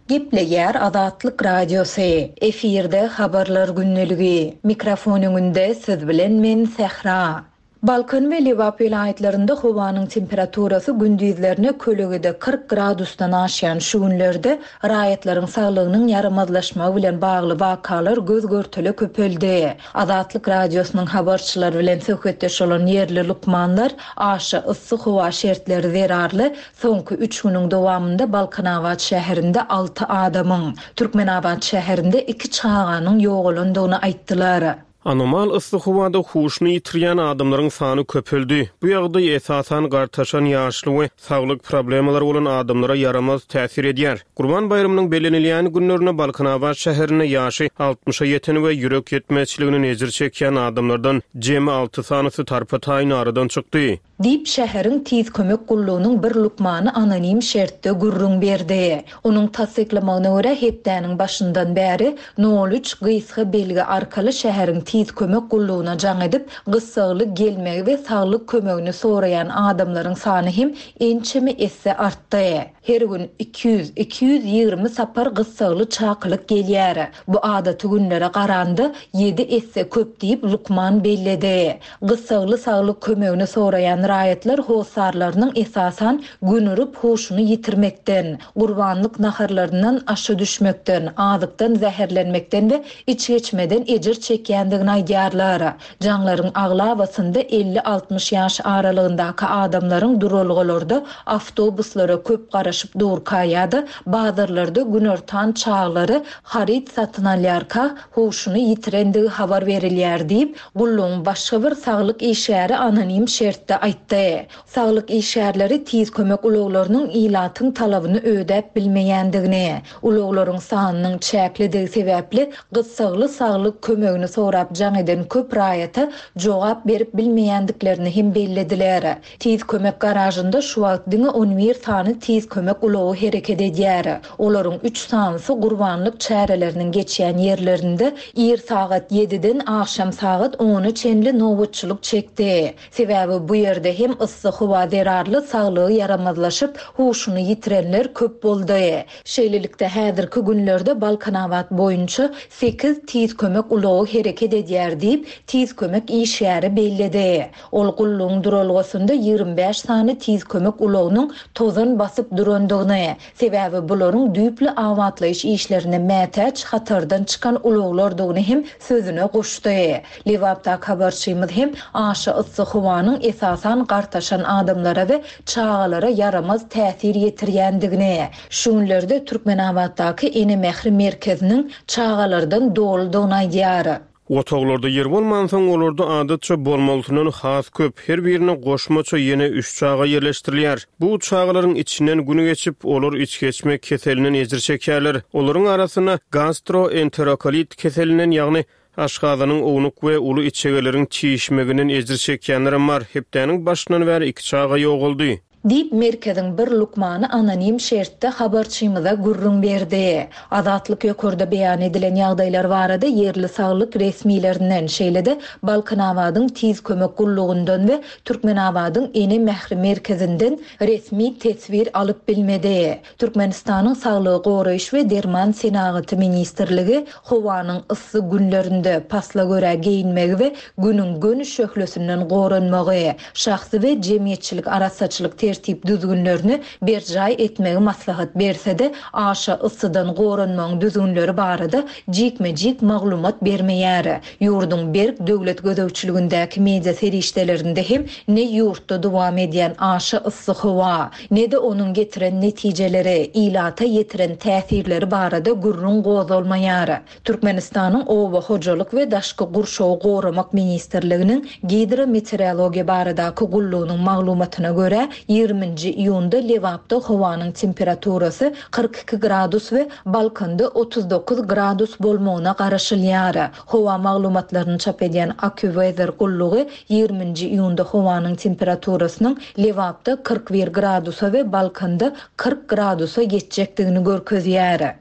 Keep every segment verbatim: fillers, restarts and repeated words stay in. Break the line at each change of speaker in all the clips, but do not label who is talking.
Gepleýär Azatlyk Radiosy. Efirde habarlar gündeligi. Mikrofon öňünde siz bilen men Sähra. Balkan we Lebap welaýatlarynda howanyň temperaturasy gündizlerine kölegede kyrk gradusdan aşýan şu günlerde raýatlaryň saglygynyň ýaramazlaşmagy bilen bagly wakalar göz-görtele köpeldi. Azatlyk Radiosynyň habarçylary bilen söhbetdeş bolan ýerli lukmanlar aşa yssy howa şertleri zerarly soňky üç günüň dowamynda Balkanabat şäherinde alty adamyň, Türkmenabat şäherinde iki çaganyň ýogalandygyny aýtdylar.
Anomal yssy howada huşuny ýitirýän adamlaryň sany köpeldi. Bu ýagdaý esasan gartaşan ýaşly we saglyk problemalary bolan adamlara ýaramaz täsir edýär. Gurban baýramynyň bellenilýän günlerinde Balkanabat şäherinde ýaşy altmyşa ýeten we ýürek ýetmezçiligine ejir çekýän adamlardan jemi alty sanysy tarpa-taýyn aradan çykdy.
Diýip, şäheriň Tiz kömek gullugynyň bir lukmany anonim şertde gürrüň berdi. Onuň tassyklamagyna görä, hepdäniň başyndan bäri nol üç gysga belgi arkaly şäheriň Tiz kömek gullugyna jaň edip, gyssagly gelmegi we saglyk kömegini soraýan adamlaryň sany hem ençeme esse artdy. Her gün iki ýüz, iki ýüz ýigrimi sapar gyssagly çakylyk gelýär. Bu adaty günlere garanda ýedi esse köp diýip, lukman belledi. Gyssagly saglyk kömegini soraýan raýatlar hossarlarynyň esasan gün urup huşuny ýitirmekden, gurbanlyk naharlaryndan aşa düşmekden, azykdan zäherlenmekden we içgeçmeden ejir çekýändigini aýdýarlar. Jaňlaryň aglabasynda elli-altmyş ýaş aralygyndaky adamlaryň duralgalarda awtobuslara köp garaşyp durka ýa-da bazarlarda günortan çaglary haryt satyn alýarka huşuny ýitirendigi habar berilýär diýip, gullugyň başga bir saglyk işgäri anonim şertde aýtdy. Saglyk işgärleri tiz kömek ulaglarynyň ilatyň talabyny ödäp bilmeýändigini, ulaglaryň sanynyň çäklidigi sebäpli gyssagly saglyk kömegini sorap jaň eden köp raýata jogap berip bilmeýändiklerini hem bellediler. Tiz kömek garažynda şu wagt diňe on bir sany tiz kömek ulagy hereket edýär. Olaryň üç sanysy gurbanlyk çäreleriniň geçýän ýerlerinde ir sagat ýediden akşam sagat ona çenli nobatçylyk çekdi. Sebäbi bu ýerde hem yssy howa zerarly saglygy ýaramazlaşyp, huşuny ýitirenler köp boldy. Şeýlelikde häzirki günlerde Balkanabat boýunça sekiz tiz kömek ulagy hereket edýär diýip, tiz kömek işgäri belledi. Ol gullugyň duralgasynda ýigrimi bäş sany tiz kömek ulagynyň tozan basyp durandygyny, sebäbi bularyň düýpli abatlaýyş işlerine mätäç hatardan çykan ulaglardygyny hem sözüne goşdy. Lebapdaky habarçymyz hem aşa yssy howanyň esasan gartaşan adamlara we çagalara ýaramaz täsir ýetirýändigini, şu günlerde Türkmenabatdaky Ene Mähri merkeziniň çagalardan doludygyny aýdýar.
Otaglarda ýer bolmansoň, olarda adatça bolmalysyndan has köp, her birine goşmaça ýene üç çaga ýerleşdirilýär. Bu çagalaryň içinden günü geçip, olar içgeçme keselinden ejir çekerler. Olaryň arasynda gastroenterokolit keselinden, ýagny aşgazanyň ownuk we uly içegeleriň çişmeginden ejir çekýänlerem bar. Hepdäniň başyndan bäri iki çaga ýogaldy.
Diýip, merkeziň bir lukmany anonim şertde habarçymyza gürrüň berdi. Azatlyk ýokarda beýan edilen ýagdaýlar barada ýerli saglyk resmilerinden, şeýle-de Balkanabadyň tiz kömek gullugyndan we Türkmenabadyň Ene Mähri merkezinden resmi teswir alyp bilmedi. Türkmenistanyň Saglygy goraýyş we Derman senagaty ministrligi howanyň yssy günlerinde pasla görä geýinmegi we günüň göni şöhlesinden goranmagy, şahsy we jemgyýetçilik arassaçylyk tertip düzgünlerini berjaý etmegi maslahat berse-de, aşa yssydan goranmagyň düzgünleri barada jikme-jik maglumat bermeýär. Ýurduň berk döwlet gözegçiligindäki media serişdelerinde hem ne ýurtda dowam edýän aşa yssy howa, ne-de onuň getiren netijeleri, ilata ýetiren täsirleri barada gürrüň gozgalmaýar. Türkmenistanyň Oba hojalyk we Daşky gurşawy goramak ministrliginiň gidrometeorologiýa baradaky gullugynyň maglumatyna görä, ýigriminji iýunda Lebapda howanyň temperaturasy kyrk iki gradus we Balkanda otuz dokuz gradus bolmagyna garaşylýar. Howa maglumatlaryny çap edýän AccuWeather gullugy ýigriminji iýunda howanyň temperaturasynyň Lebapda kyrk bir gradusa we Balkanda kyrk gradusa geçjekdigini görkezýär.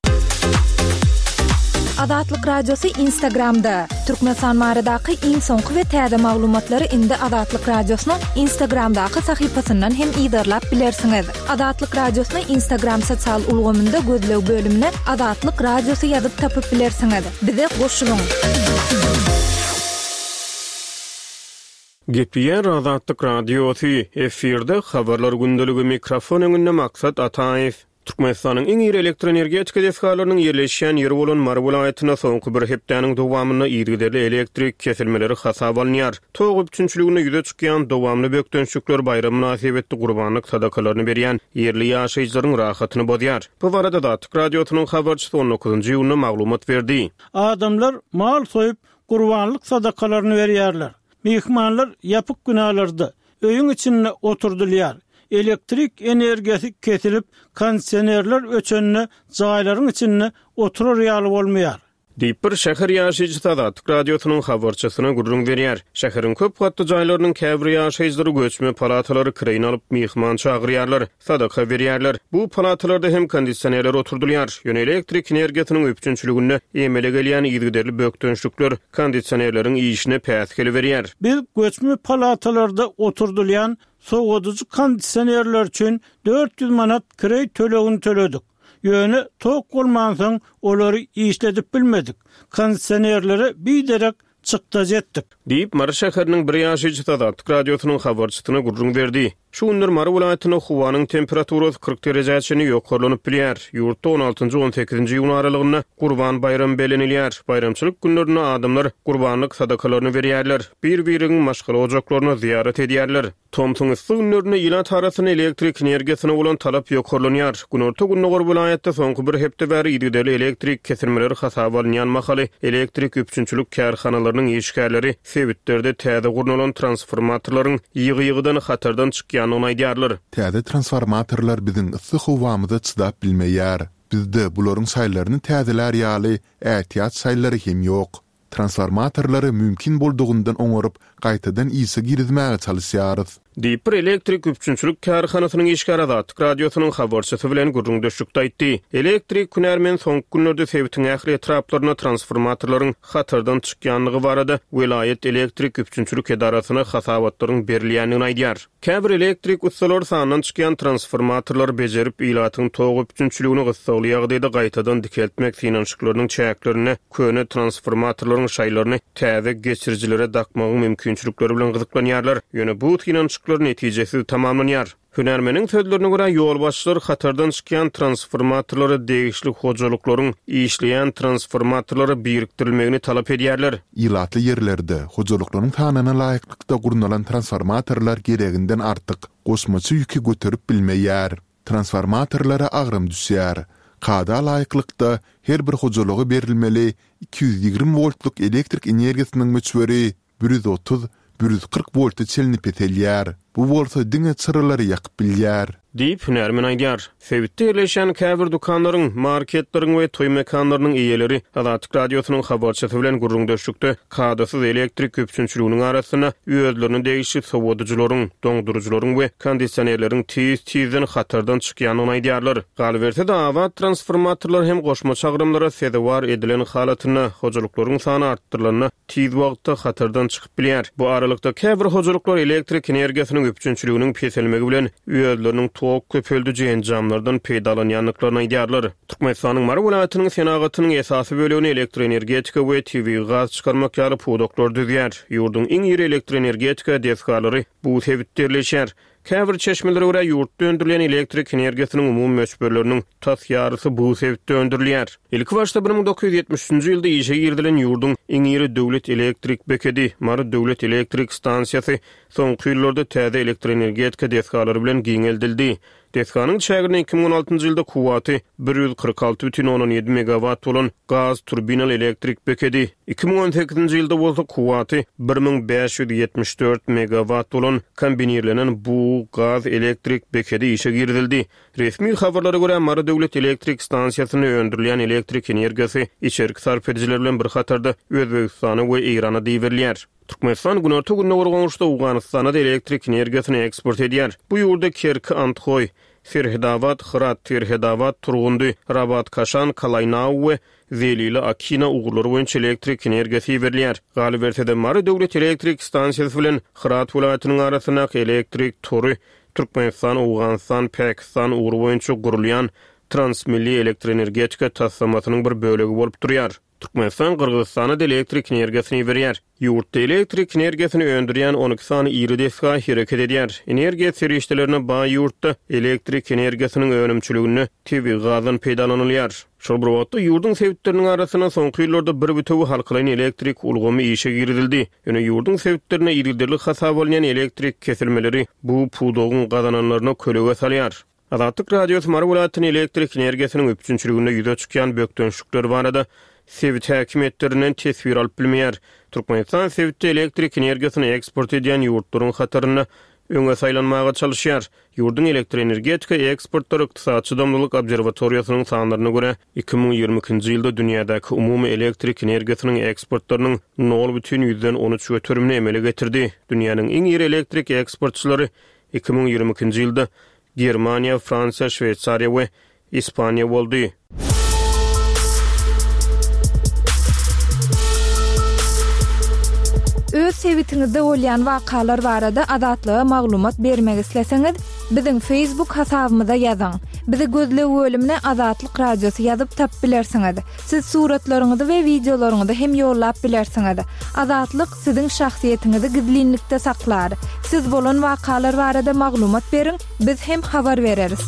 Azatlyk Radiosy Instagramda! Türkmenistan baradaky iň soňky we täze maglumatlary indi Azatlyk Radiosynyň Instagramdaky sahypasyndan hem yzarlap bilersiňiz. Azatlyk Radiosyny Instagram sosial ulgamynda gözleg bölümine Azatlyk Radiosy ýazyp tapyp bilersiňiz. Bize goşulyň!
Gepleýär Azatlyk Radiosy, efirde Habarlar gündeligi, mikrofon öňünde Maksat Ataýew. Türkmenistanyň iň iri elektroenergetika desgalarynyň ýerleşýän ýeri bolan Mary welaýatynda soňky bir hepdäniň dowamynda yzygiderli elektrik kesilmeleri hasaba alynýar. Tok üpjünçiliginde ýüze çykýan dowamly bökdençlikler baýram mynasybetli gurbanlyk sadakalaryny berýän ýerli ýaşaýjylaryň rahatyny bozýar. Bu barada Azatlyk Radiosynyň habarçysy on dokuzynjy iýunda maglumat berdi.
Adamlar mal soýup, gurbanlyk sadakalaryny berýärler. Myhmanlar ýapyk binalarda, öýüň içinde oturdylýar. Elektrik energiýasy kesilip, kondisionerler öçende jaýlaryň içinde oturar ýaly bolmaýar.
Diýip, bir şäher ýaşaýjysy Azatlyk Radiosynyň habarçysyna gürrüň berýär. Şäheriň köp gatly jaýlarynyň käbir ýaşaýjylary göçme palatalary kireýine alyp, myhman çagyrýarlar, sadaka berýärler. Bu palatalarda hem kondisionerler oturdylýar. Ýöne elektrik energiýasynyň üpjünçiliginde emele gelýän yzygiderli bökdençlikler kondisionerleriň işine päsgel berýär.
Biz göçme palatalarda oturdylýan sowadyjy kondisionerler üçin dört ýüz manat kireý tölegini töledik. Ýöne tok bolmansoň olary işledip bilmedik. Kondisionerlere biderek çykdajy etdik.
Diýip, Mary şäheriniň bir ýaşaýjysy Azatlyk Radiosynyň habarçysyna gürrüň berdi. Şu günler Mary welaýatynda howanyň temperaturasy kyrk derejä çenli ýokarlanyp bilýär. Ýurtda on altynjy, on sekizinji iýun aralygynda Gurban baýramy bellenilýär. Baýramçylyk günlerinde adamlar gurbanlyk sadakalaryny berýärler, bir-birigiň maşgala ojaklaryna zyýarat edýärler. Tomsuň yssy günlerinde ilat arasynda elektrik energiýasyna bolan talap ýokarlanýar. Günorta-gündogar welaýatda soňky bir hepde bäri yzygiderli elektrik kesilmeleri hasaba alynýan mahaly elektrik üpjünçilik kärhanalarynyň işgärleri sebitlerde täze gurnalan transformatorlaryň ýygy-ýygydan hatardan çykýandygyny aýdýarlar.
Täze transformatorlar biziň yssy howamyza çydap bilmeýär. Bizde bularyň şaýlaryny täzelär ýaly ätiýaç şaýlary hem ýok. Transformatorlary mümkin boldugyndan oňaryp, gaýtadan işe girizmäge çalyşýarys.
Diýip, bir elektrik üpjünçilik kärhanasynyň işgäri Azatlyk Radiosynyň habarçysy bilen gürrüňdeşlikde aýtdy. Elektrik hünärmen soňky günlerde sebitiň ähli etraplarynda transformatorlaryň hatardan çykýandygy barada welaýat elektrik üpjünçilik edarasyna hasabatlaryň berilýändigini aýdýar. Käbir elektrik ussalary sandan çykýan transformatorlary bejerip, ilatyň tok üpjünçiligini gyssagly ýagdaýda gaýtadan dikeltmek synanyşyklarynyň çäklerinde köne transformatorlaryň şaýlaryny täze geçirijilere dakmagyň mümkinçilikleri bilen gyzyklanýarlar. Ýöne bu synanyşyklar netijesiz tamamlanýar. Hünärmeniň sözlerine görä, ýolbaşçylar hatardan çykýan transformatorlara degişli hojalyklaryň işleýän transformatorlara birikdirilmegini talap edýärler.
Ilatly ýerlerde hojalyklaryň sanyna laýyklykda gurnalan transformatorlar gereginden artyk goşmaça ýüki göterip bilmeýär. Transformatorlara agram düşýär. Kada laýyklykda her bir hojalyga berilmeli iki ýüz ýigrimi woltluk elektrik energiýasynyň möçberi bir ýüz otuz, bir ýüz kyrk wolta çenli peselýär. Bu bolsa diňe çyralary ýakyp bilýär.
Diýip, hünärmen aýdýar. Sebitde ýerleşýän käbir dükanlaryň, marketleriň we toý mekanlarynyň eýeleri Azatlyk Radiosynyň habarçysy bilen gürrüňdeşlikde kadasyz elektrik üpjünçiliginiň arasynda özlerine degişli sowadyjylaryň, doňduryjylaryň we kondisionerleriň tiz-tizden hatardan çykýandygyny aýdýarlar. Galyberse-de, abat transformatorlar hem goşmaça agramlara sezewar edilen halatynda, hojalyklaryň sany artdyrylanda tiz wagtda hatardan çykyp bilýär. Bu aralykda käbir hojalyklar elektrik energiýasynyň üpjünçiliginiň peselmegi bilen özleriniň tok köpeldiji enjamlardan peýdalanýandyklaryny aýdýarlar. Türkmenistanyň Mary welaýatynyň senagatynyň esasy bölegini elektroenergetika we tebigy gaz çykarmak ýaly pudaklar düzýär. Ýurduň iň iri elektroenergetika desgalary bu sebitde ýerleşýär. Käbir çeşmelere görä, ýurtda öndürilýän elektrik energiýasynyň umumy möçberleriniň tas ýarysy bu sebitde öndürilýär. Ilkibaşda bir müň dokuz ýüz ýetmiş üçünji ýylda işe girizilen ýurduň iň iri döwlet elektrik bekedi, Mary döwlet elektrik stansiýasy soňky ýyllarda täze elektroenergetika desgalary bilen giňeldildi. Desganyň çäginde iki müň on altynjy ýylda kuwwaty bir ýüz kyrk alty bütin ondan ýedi megawat bolan gaz turbinaly elektrik bekedi, iki müň on sekizinji ýylda bolsa kuwwaty bir müň bäş ýüz ýetmiş dört megawat bolan kombinirlenen bug gaz elektrik bekedi işe girizildi. Resmi habarlara görä, Mary döwlet elektrik stansiýasynda öndürilýän elektrik energiýasy içerki sarp edijiler bilen bir hatarda Özbegistana we Eýrana iberilýär. Türkmenistan günorta-gündogar goňşusy Owganystana-da elektrik energiýasyny eksport edýär. Bu ýurda Kerki Andhoý, Serhedabat, Hyrat, Serhedabat, Turgundy, Rabat, Kaşan, Kalaýnau we Zelili, Akina ugurlary boýunça elektrik energiýasy iberilýär. Galyberse-de, Mary döwlet elektrik stansiýasy bilen Hyrat welaýatynyň arasyndaky elektrik tory Türkmenistan, Owganystan, Pakistan ugry boýunça gurulýan transmilli elektroenergetika taslamasynyň bir bölegi bolup durýar. Türkmenistan Gyrgyzystana-da elektrik energiýasyny iberýär. Ýurtda elektrik energiýasyny öndürýän on iki sany iri desga hereket edýär. Energiýa serişdelerine baý ýurtda elektrik energiýasynyň önümçiliginde tebigy gazdan peýdalanylýar. Şol bir wagtda ýurduň sebitleriniň arasynda soňky ýyllarda bir bütewi halkalaýyn elektrik ulgamy işe girizildi. Ýöne ýurduň sebitlerinde yzygiderli hasaba alynýan elektrik kesilmeleri bu pudagyň gazananlaryna kölege salýar. Azatlyk Radiosy Mary welaýatynyň elektrik energiýasynyň üpjünçiliginde ýüze çykýan bökdençlikler barada sebit häkimiýetlerinden teswir alyp bilmeýär. Türkmenistan sebitde elektrik energiýasyny eksport edýän ýurtlaryň hatarynda öňe saýlanmaga çalyşýar. Ýurduň elektroenergetika eksportlary Ykdysady çydamlylyk obserwatoriýasynyň sanlaryna görä iki müň ýigrimi ikinji ýylda dünýädäki umumy elektrik energiýasynyň eksportlarynyň nol bütin ýüzden on üç göterimini emele getirdi. Dünýäniň iň iri elektrik eksportçylary iki müň ýigrimi ikinji ýylda Germaniýa, Fransiýa, Şweýsariýa we Ispaniýa boldy.
Öz sebitiňizde bolýan wakalar barada Azatlyga maglumat bermek isleseňiz, biziň Facebook hasabymyza ýazyň. Bizi gözleg bölümine Azatlyk Radiosy ýazyp tap bilersiňiz. Siz suratlaryňyzy we wideolaryňyzy hem ýollap bilersiňiz. Azatlyk siziň şahsyýetiňizi gizlinlikde saklar. Siz bolan wakalar barada maglumat beriň, biz hem habar bereris.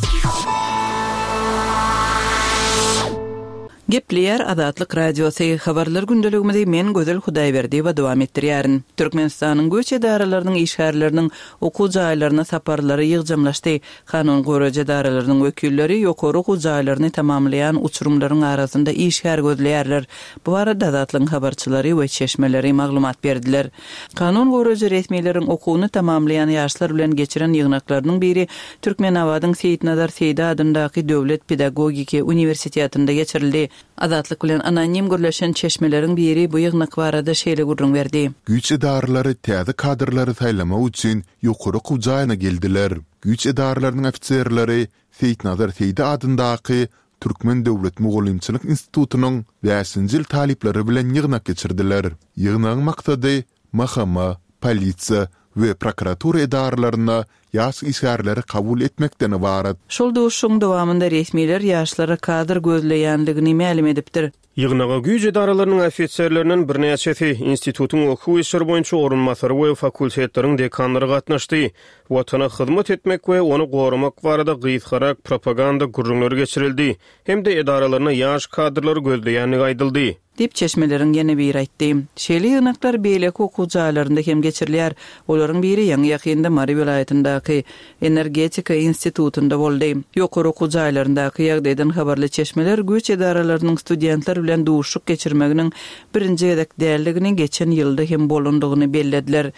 Gepleýär Azatlyk Radiosy. Habarlar gündeligimizi men Gözel Hudaýberdiýewa dowam etdirýärin. Türkmenistanyň güýç edaralarynyň işgärleriniň okuw jaýlaryna saparlary ýygjamlaşdy. Kanun goraýjy edaralarynyň wekilleri ýokary okuw jaýlaryny tamamlaýan uçurymlaryň arasynda işgär gözleýärler. Bu barada Azatlygyň habarçylary we çeşmeleri maglumat berdiler. Kanun goraýjy resmileriň okuwyny tamamlaýan ýaşlar bilen geçiren ýygnaklarynyň biri Türkmenabadyň Seýitnazar Seýdi adyndaky Döwlet pedagogiki uniwersitetinde geçirildi. Azatlyk bilen anonim gürleşen çeşmeleriň biri bu ýygnak barada şeýle gürrüň berdi.
Güýç edaralary täze kadrlary saýlamak üçin ýokary okuw jaýyna geldiler. Güýç edaralarynyň ofiserleri Seýitnazar Seýdi adyndaky Türkmen Döwlet Mugallymçylyk institutynyň bäşinji ýyl talyplary bilen ýygnak geçirdiler. Ýygnagyň maksady M H M, polisiýa we prokuratura edaralaryna ýaş işgärleri kabul etmekden ybarat.
Şol duşuň dowamynda resmiler ýaşlara kadr gözleýänligini mälim edipdir.
Ýygnaga güýç edaralarynyň ofiserlerinden birnäçesi, institutyň okuw işleri boýunça orunbasary we fakultetleriň dekanlary gatnaşdy. Watana hyzmat etmek we ony goramak barada gysgarak propaganda gürrüňleri geçirildi. Hem-de edaralaryna ýaş kadrlary gözleýänligi aýdyldy.
Diýip çeşmeleriň ýene biri aýtdy. Şeýle ýygnaklar beýleki okuw jaýlarynda hem geçirilýär. Olaryň biri ýaňy ýakynda Mary welaýatyndaky Energetika institutynda boldy. Ýokary okuw jaýlaryndaky ýagdaýdan habarly çeşmeler güýç edaralarynyň studentler bilen duşuk geçirmeginiň birinji gezek däldigini geçen ýylda hem bolandygyny bellediler.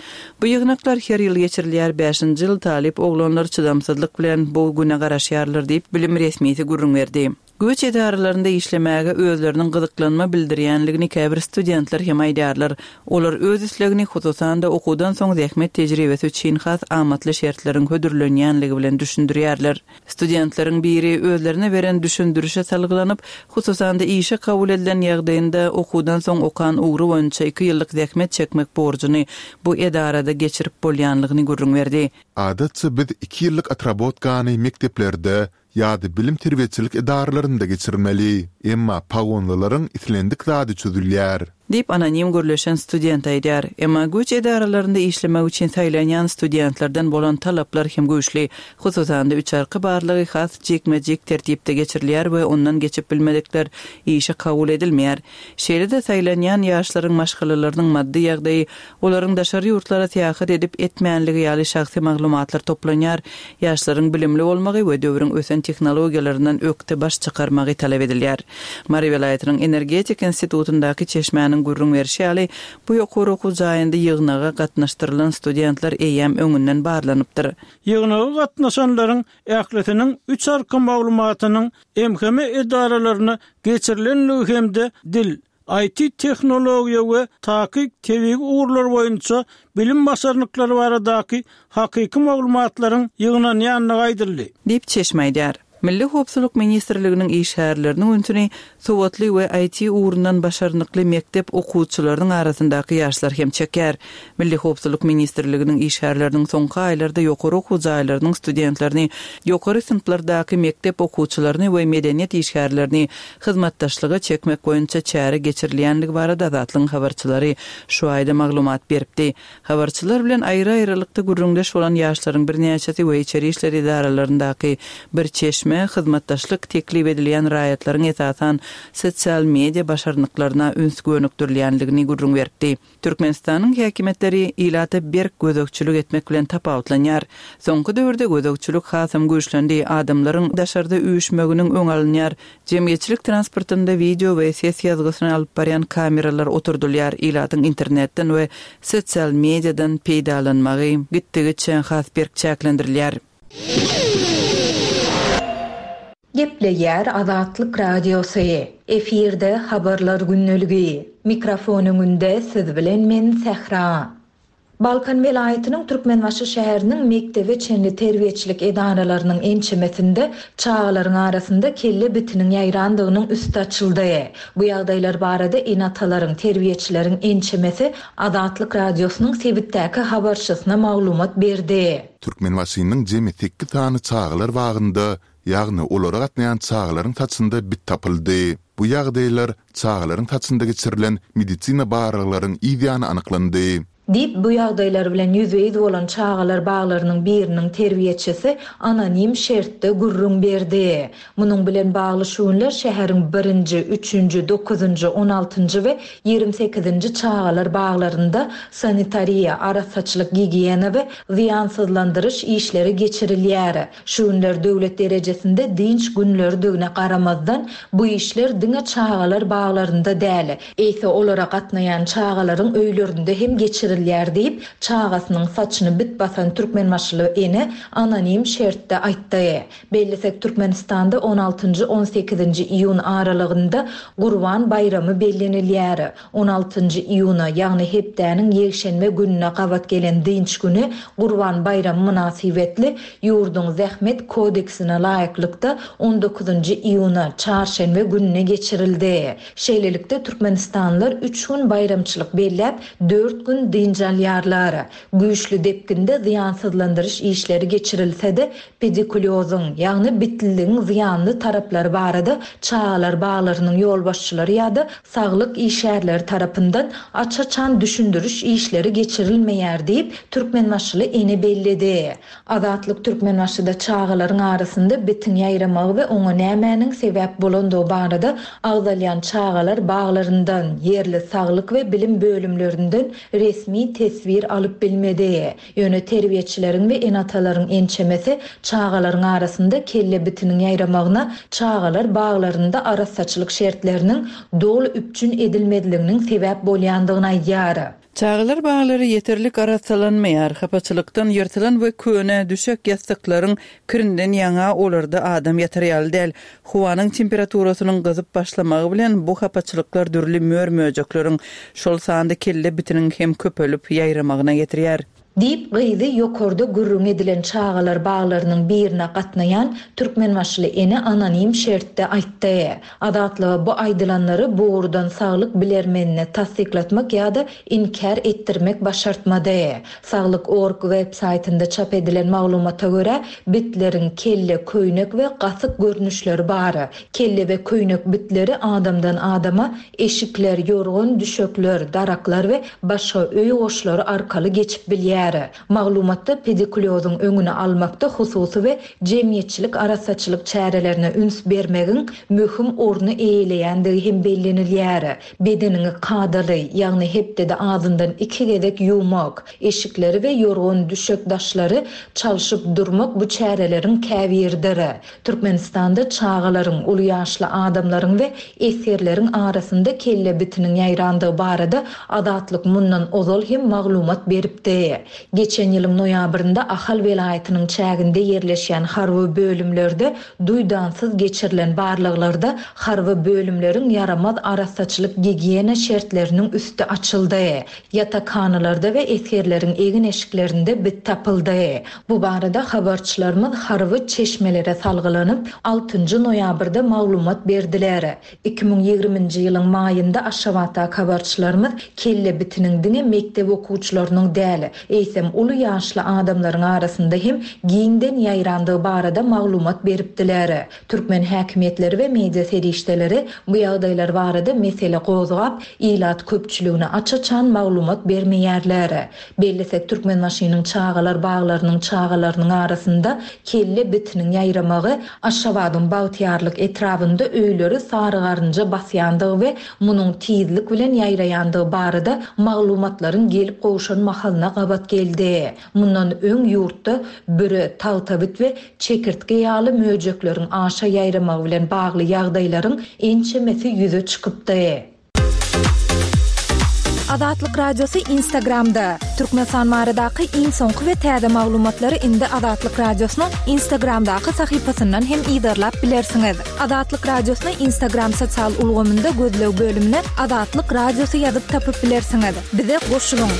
Bu ýygnaklar her ýyl geçirilýär. Bäşinji ýyl talyp oglanlar çydamsyzlyk bilen bu güne garaşýarlar diýip bilim resmisi gürrüň berdi. Güýç edaralarynda işlemäge özleriniň gyzyklanma bildirýänligini käbir studentler hem aýdýarlar. Olar öz islegini hususan-da okuwdan soň zähmet tejribesi üçin has amatly şertleriň hödürlenýänligi bilen düşündirýärler. Studentleriň biri özlerine beren düşündirişe salgylanyp, hususan-da işe kabul edilen ýagdaýynda okuwdan soň okan ugry boýunça iki ýyllyk zähmet çekmek borjuny bu edarada geçirip bolýanlygyny gürrüň berdi.
Adatça biz iki ýyllyk otrabotkany mekdeplerde ýa-da bilim terbiýeçilik edaralarynda geçirmeli. Emma pagonlylaryň islendik zady çözülýär.
Diýip anonim gürleşen student aýdýar. Emma güýç edaralarynda işlemek üçin saýlanýan studentlerden bolan talaplar hem güýçli. Hususan-da üç arka barlygy has jikme-jik tertipde geçirilýär we ondan geçip bilmedikler işe kabul edilmeýär. Şeýle-de saýlanýan ýaşlaryň maşgalalarynyň maddy ýagdaýy, olaryň daşary ýurtlara syýahat edip etmänligi ýaly şahsy maglumatlar toplanýar. Ýaşlaryň bilimli bolmagy we döwrüň ösen tehnologiýalaryndan ökde baş çykarmagy talap edilýär. Mary welaýatynyň Energetika institutyndaky çeşmäniň gürrüň berişi ýaly, bu ýokary okuw jaýynda ýygnaga gatnaşdyrylan studentler eýýäm öňünden barlanypdyr.
Ýygnaga gatnaşanlaryň ählisiniň üç arka maglumatynyň M H M edaralaryna geçirilenligi hem-de dil, I T tehnologiýa we takyk tebigy ugurlar boýunça bilim başarnyklary baradaky hakyky maglumatlaryň ýygnanýandygy aýdyldy.
Diýip çeşme aýdýar. Milli Howpsuzlyk ministrliginiň işgärleriniň ünsüni sowatly we I T ugrundan başarnykly mekdep okuwçylarynyň arasyndaky ýaşlar hem çekýär. Milli Howpsuzlyk ministrliginiň işgärleriniň soňky aýlarda ýokary okuw jaýlarynyň studentlerini, ýokary synplardaky mekdep okuwçylaryny we medeniýet işgärlerini hyzmatdaşlyga çekmek boýunça çäre geçirilýänligi barada Azatlygyň habarçylary şu aýda maglumat beripdi. Habarçylar bilen aýry-aýrylykda gürrüňdeş bolan ýaşlaryň birnäçesi we içeri işler idaralaryndaky bir çeşme hyzmatdaşlyk teklip edilýän raýatlaryň esasan sosial media başarnyklaryna üns gönükdirilýänligini gürrüň beripdi. Türkmenistanyň häkimiýetleri ilata berk gözegçilik etmek bilen tapawutlanýar. Soňky döwürde gözegçilik hasam güýçlendi, adamlaryň daşarda üýşmeginiň öň alynýar. Jemgyýetçilik transportynda video we ses ýazgysyny alyp barýan kameralar oturdylýar. Ilatyň internetden we sosial mediadan peýdalanmagy gitdigiçe has berk çäklendirilýär.
Gepleýär Azatlyk Radiosy. Efirde habarlar günlügi. Mikrofon öňünde siz bilen men Sähra. Balkan welaýatynyň Türkmenbaşy şäheriniň mektebe çenli terbiýeçilik edaralarynyň ençemesinde çagalaryň arasynda kelle bitiniň ýaýrandygynyň üsti açyldy. Bu ýagdaýlar barada ene-atalaryň, terbiýeçileriň ençemesi Azatlyk Radiosynyň sebitdäki habarçysyna maglumat berdi.
Türkmenbaşynyň jemi sekiz sany çagalar bagynda, ýagny olara gatnaýan çagalaryň saçynda bit tapyldy. Bu ýagdaýlar çagalaryň saçynda geçirilen medisina barlaglaryň ýany anyklandy.
Diýip, bu ýagdaýlar bilen ýüzbe-ýüz bolan çagalar baglarynyň biriniň terbiýeçisi anonim şertde gürrüň berdi. Munuň bilen bagly şu günler şäheriň birinji, üçünji, dokuzynjy, on altynjy we ýigrimi sekizinji çagalar baglarynda sanitariýa, arassaçylyk, gigiýena we zyýansyzlandyryş işleri geçirilýär. Şu günler döwlet derejesinde dynç günleridigine garamazdan bu işler diňe çagalar baglarynda däl, eýse olara gatnaýan çagalaryň öýlerinde hem geçirilýär diýip, çagasynyň saçyny bit basan Türkmenbaşyly ene anonim şertde aýtdy. Bellisek Türkmenistanda on altynjy, on sekizinji iýun aralygynda Gurban baýramy bellenilýär. On altynjy iýuna, ýagny hepdäniň ýekşenbe gününe gabat gelen dynç güni Gurban baýramy mynasybetli ýurduň Zähmet kodeksine laýyklykda on dokuzynjy iýuna, çarşenbe gününe geçirildi. Şeýlelikde Türkmenistanlylar üç gün baýramçylyk belläp, dört gün dynç alýarlar. Güýçli depginde zyýansyzlandyryş işleri geçirilse-de, pedikulýozyň, ýagny bitliligiň zyýanly taraplary barada çagalar baglarynyň ýolbaşçylary ýa-da saglyk işgärleri tarapyndan aç-açan düşündiriş işleri geçirilmeýär diýip, Türkmenbaşyly ene belledi. Azatlyk Türkmenbaşyda çagalaryň arasynda bitin ýaýramagy we oňa nämäniň sebäp bolandygy barada agzalýan çagalar baglaryndan, ýerli saglyk we bilim bölümlerinden resmi teswir alyp bilmedi. Ýöne terbiýeçileriň we ene-atalaryň ençemesi çagalaryň arasynda kelle bitiniň ýaýramagyna çagalar baglarynda arassaçylyk şertleriniň doly üpjün edilmezliginiň sebäp bolýandygyny aýdýar.
Çagalar baglary ýeterlik arassalanmaýar. Hapaçylykdan ýyrtylan we köne düşek ýassyklaryň kirinden ýaňa olarda adam ýatar ýaly däl. Howanyň temperaturasynyň gyzyp başlamagy bilen bu hapaçylyklar dürli mör-möjekleriň, şol sanda kelle bitiniň hem köpelip ýaýramagyna getirýär.
Diýip, gyzy ýokarda gürrüň edilen çagalar baglarynyň birine gatnaýan Türkmenbaşyly ene anonim şertde aýtdy. Azatlyga bu aýdylanlary bu ugurdan saglyk bilermenine tassyklatmak ýa-da inkär etdirmek başartmady. Saglyk org web saýtynda çap edilen maglumata görä, bitleriň kelle, köýnek we gasyk görnüşleri bar. Kelle we köýnek bitleri adamdan adama eşikler, ýorgan düşekler, daraklar we başga öý goşlary arkaly geçip bilýär. Maglumatda pedikulýozyň öňüni almakda hususy we jemgyýetçilik arassaçylyk çärelerine üns bermegiň möhüm orny eýeleýändigi hem bellenilýär. Bedeniňi kadaly, ýagny hepdede azyndan iki gezek ýuwmak, eşikleri we ýorgan düşek daşlary çalşyp durmak bu çäreleriň käbiridir. Türkmenistanda çagalaryň, uly ýaşly adamlaryň we esgerleriň arasynda kelle bitiniň ýaýrandygy barada Azatlyk mundan ozal hem maglumat beripdi. Geçen ýylyň noýabrynda Ahal welaýatynyň çäginde ýerleşýän harby bölümlerde duýdansyz geçirilen barlaglarda harby bölümleriň ýaramaz arassaçylyk-gigiýena şertleriniň üsti açyldy. Ýatakhanalarda we esgerleriň egin-eşiklerinde bit tapyldy. Bu barada habarçylarymyz harby çeşmelere salgylanyp, altynjy noýabrda maglumat berdiler. Iki müň ýigriminji ýylyň maýynda Aşgabatdaky habarçylarymyz kelle bitiniň diňe mekdep okuwçylarynyň däl, eýsem uly ýaşly adamlaryň arasynda hem giňden ýaýrandygy barada maglumat beripdiler. Türkmen häkimiýetleri we media serişdeleri bu ýagdaýlar barada mesele gozgap, ilat köpçüligine aç-açan maglumat bermeýärler. Bellesek, Türkmenbaşynyň çagalar baglarynyň çagalarynyň arasynda kelle bitiniň ýaýramagy Aşgabadyň Bagtyýarlyk etrabynda öýleri sarygarynja basýandygy we munuň tizlik bilen ýaýraýandygy barada maglumatlaryň gelip gowşan mahalyna gabat geldi. Mundan öň ýurtda büre, tagtabit we çekirtge ýaly möjekleriň aşa ýaýramagy bilen bagly ýagdaýlaryň ençemesi ýüze çykypdy.
Azatlyk Radiosy Instagramda. Türkmenistan baradaky iň soňky we täze maglumatlary indi Azatlyk Radiosynyň Instagramdaky sahypasyndan hem yzarlap bilersiňiz. Azatlyk Radiosyny Instagram sosial ulgamynda gözleg bölümine Azatlyk Radiosy ýazyp tapyp bilersiňiz. Bize goşulyň.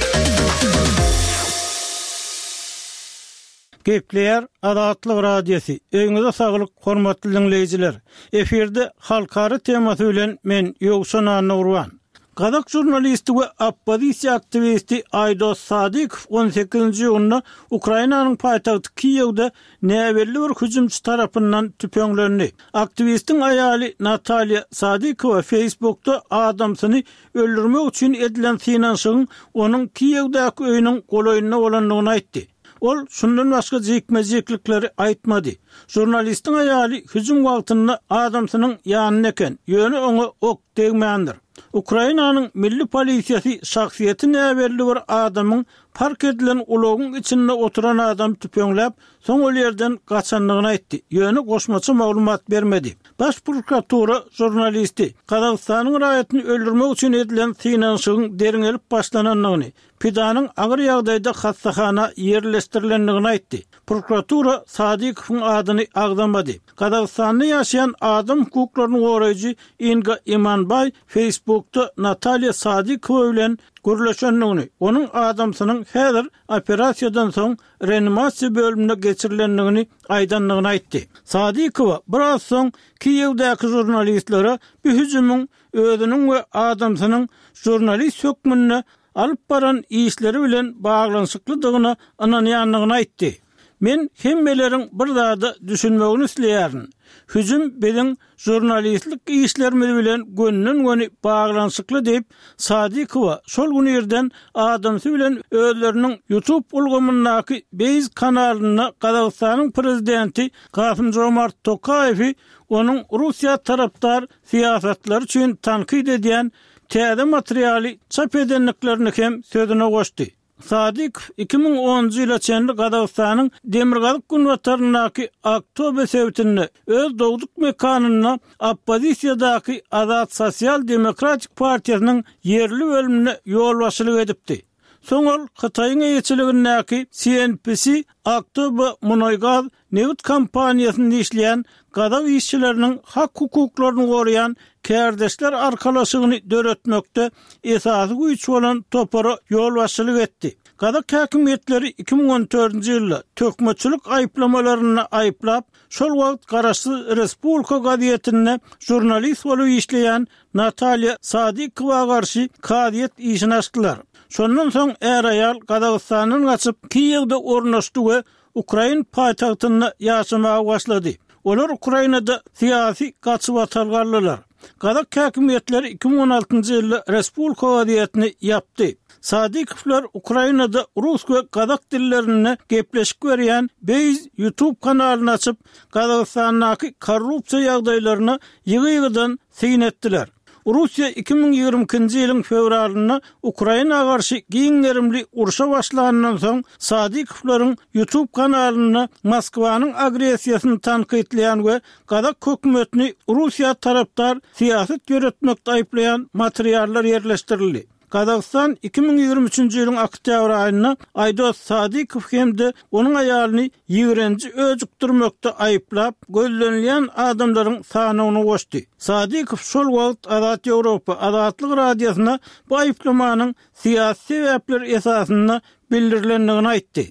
Gepleýär Azatlyk Radiosy. Öýüňize saglyk, hormatly diňleýjiler. Efirde halkara temasy bilen men Ýowşan Annagurban. Gazak žurnalisti we oppozisiýa aktiwisti Aýdos Sadykow on sekizinji iýunda Ukrainanyň paýtagty Kiýewde näbelli bir hüjümçi tarapyndan tüpeňlendi. Aktiwistiň aýaly Natalýa Sadykowa Facebookda adamsyny öldürmek üçin edilen synanyşygyň onuň Kiýewdäki öýüniň golaýynda bolandygyny aýtdy. Ol şundan başga jikme-jiklikleri aýtmady. Žurnalistiň aýaly hüjüm wagtynda adamsynyň ýanynda eken, ýöne oňa ok degmändir. Ukrainanyň milli polisiýasy şahsyýeti näbelli bir adamyň park edilen ulagyň içinde oturan adamy tüpeňläp, soň ol ýerden gaçandygyny aýtdy, ýöne goşmaça maglumat bermedi. Baş prokuratura žurnalisti Gazagystanyň raýatyny öldürmek üçin edilen synanyşygyň derňelip başlanandygyny, pidanyň agyr ýagdaýda hassahana ýerleşdirilendigini aýtdy. Prokuratura Sadykowyň adyny agzamady. Gazagystanda ýaşaýan adam hukuklaryny goraýjy Inga Imanbaý Facebookda Natalýa Sadykowa bilen gürleşendigini, onuň adamsynyň häzir operasiýadan soň reanimasiýa bölümine geçirilendigini aýdandygyny aýtdy. Sadykowa biraz soň Kiýewdäki žurnalistlere bu hüjümiň özüniň we adamsynyň žurnalist hökmünde alyp baran işleri bilen baglanyşyklydygyna ynanýandygyny aýtdy. Men hemmeleriň bir zada düşünmegini isleýärin. Hüjüm biziň žurnalistlik işlerimiz bilen gönden-göni baglanyşykly diýip, Sadykowa şol gün irden adamsy bilen özleriniň YouTube ulgamyndaky Base kanalynda Gazagystanyň prezidenti Kasym-Jomart Tokaýewi onuň Russiýa tarapdar syýasatlary üçin tankyt edýän täze materialy çap edendiklerini hem sözüne goşdy. Sadykow iki müň onunjy ýyla çenli Gazagystanyň demirgazyk-günbataryndaky Aktobe sebitinde öz dogduk mekanynda oppozisiýadaky Azat Sosial-demokratik partiýasynyň ýerli bölümine ýolbaşçylyk edipdi. Soň ol Hytaýyň eýeçiligindäki C N P C Aktobe munaýgaz nebit kompaniýasynda işleýän gazak işçileriniň hak-hukuklaryny goraýan kärdeşler arkalaşygyny döretmekde esasy güýç bolan topara ýolbaşçylyk etdi. Gazak häkimiýetleri iki müň on dördünji ýylda töhmetçilik aýyplamalarynda aýyplap, şol wagt Garaşsyz Respublika gazetinde žurnalist bolup işleýän Natalýa Sadykowa garşy kazyýet işini açdylar. Şondan soň är-aýal Gazagystandan gaçyp, Kiýewde ornaşdy we Ukrain paýtagtynda ýaşamaga başlady. Olar Ukrainada syýasy gaçybatalga aldylar. Gazak häkimiýetleri iki müň on altynjy ýylda Respublika gazetini ýapdy. Sadykowlar Ukrainada rus we gazak dillerinde gepleşik berýän Base YouTube kanalyny açyp, Gazagystandaky korrupsiýa ýagdaýlaryna ýygy-ýygydan syn etdiler. Russiýa iki müň ýigrimi ikinji ýylyň fewralynda Ukraina garşy giň gerimli urşa başlanyndan soň Sadykowlaryň YouTube kanalynda Moskwanyň agressiýasyny tankytlaýan we gazak hökümetini Russiýa tarapdar syýasat ýöretmekde aýyplaýan materiallar ýerleşdirildi. Gazagystan iki müň ýigrimi üçünji ýylyň oktýabr aýynda Aýdos Sadykow hem-de onuň aýalyny ýigrenji öjükdirmekde aýyplap, gözlenilýän adamlaryň sanawyna goşdy. Sadykow şol wagt Azat Ýewropa Azatlyk Radiosyna bu aýyplamanyň syýasy sebäpler esasynda bildirilendigini aýtdy.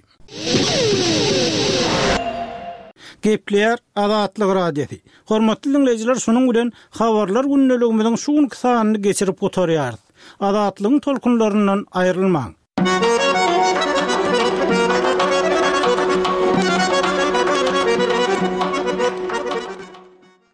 Gepleýär Azatlyk Radiosy. Hormatly diňleýjiler, şunuň bilen Habarlar gündeligimiziň şu günki sanyny geçirip gutarýarys. Azatlygyň tolkunlaryndan aýrylmaň!